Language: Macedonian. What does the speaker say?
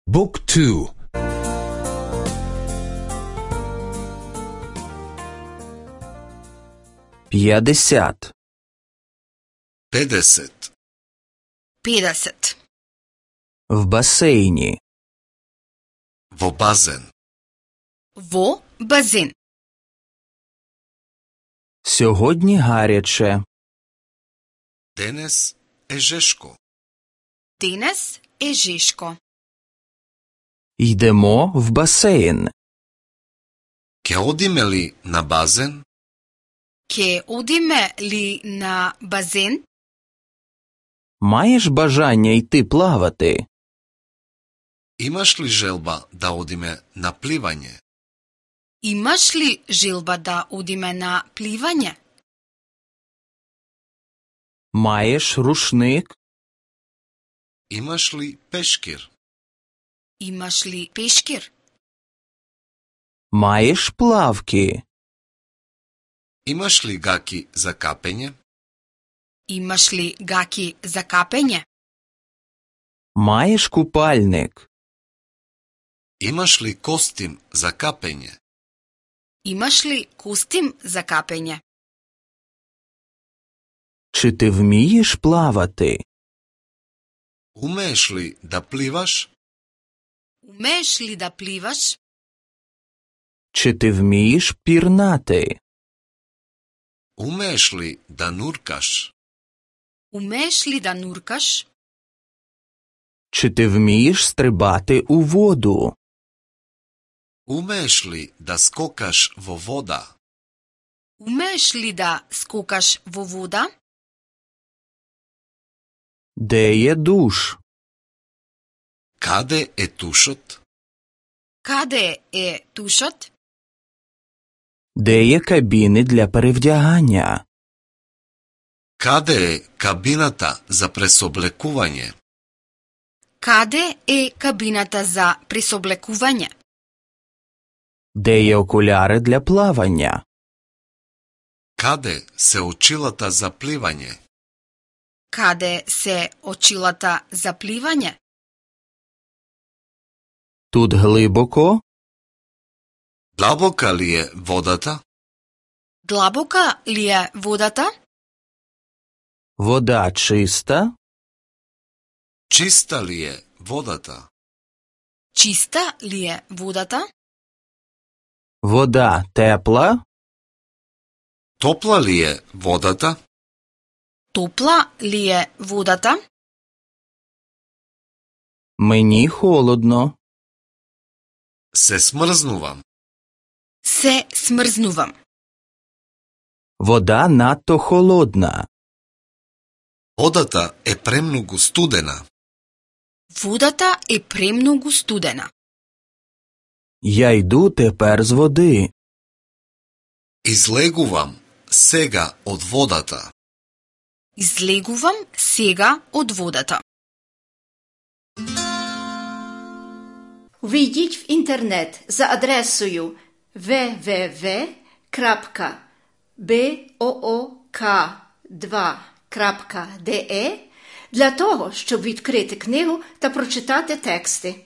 Book 2. 50. 50. 50. В басейні. Во базен. Во базен. Сьогодні гаряче. Денес е жешко. Денес е жешко. Йдемо в басейн. Ке одиме ли на базен? Ке одиме ли на базен? Маєш бажання йти плавати? Имаш ли желба да одиме на пливање? Имаш ли желба да одиме на пливање? Маєш рушник? Имаш ли пешкир? Имаш ли пешкир? Маєш плавки? Имаш ли гаки за капење? Имаш ли гаки за капење? Маєш купальник? Имаш ли костим за капење? Имаш ли костим за капење? Чи ти вмієш плавати? Умееш ли да пливаш? Умееш ли да пливаш? Чи ти вмієш пірнати? Умееш ли да нуркаш? Умееш ли да нуркаш? Чи ти вмієш стрибати у воду? Умееш ли да скокаш во вода? Умееш ли да скокаш во вода? Де є душ? Каде е тушот? Каде е тушот? Де є кабіни для перевдягання? Каде е кабината за пресоблекување? Каде е кабината за пресоблекување? Де є окуляри для плавання? Каде се очилата за пливање? Каде се очилата за пливање? Тут глибоко? Длабока ли е водата? Длабока ли е водата? Вода чиста? Чиста ли е водата? Чиста ли е водата? Вода тепла? Топла ли е водата? Топла ли е водата? Мені холодно. Се смрзнувам. Се смрзнувам. Вода надто холодна. Водата е премногу студена. Водата е премногу студена. Я йду тепер з води. Излегувам сега од водата. Излегувам сега од водата. Увійдіть в інтернет за адресою www.book2.de для того, щоб відкрити книгу та прочитати тексти.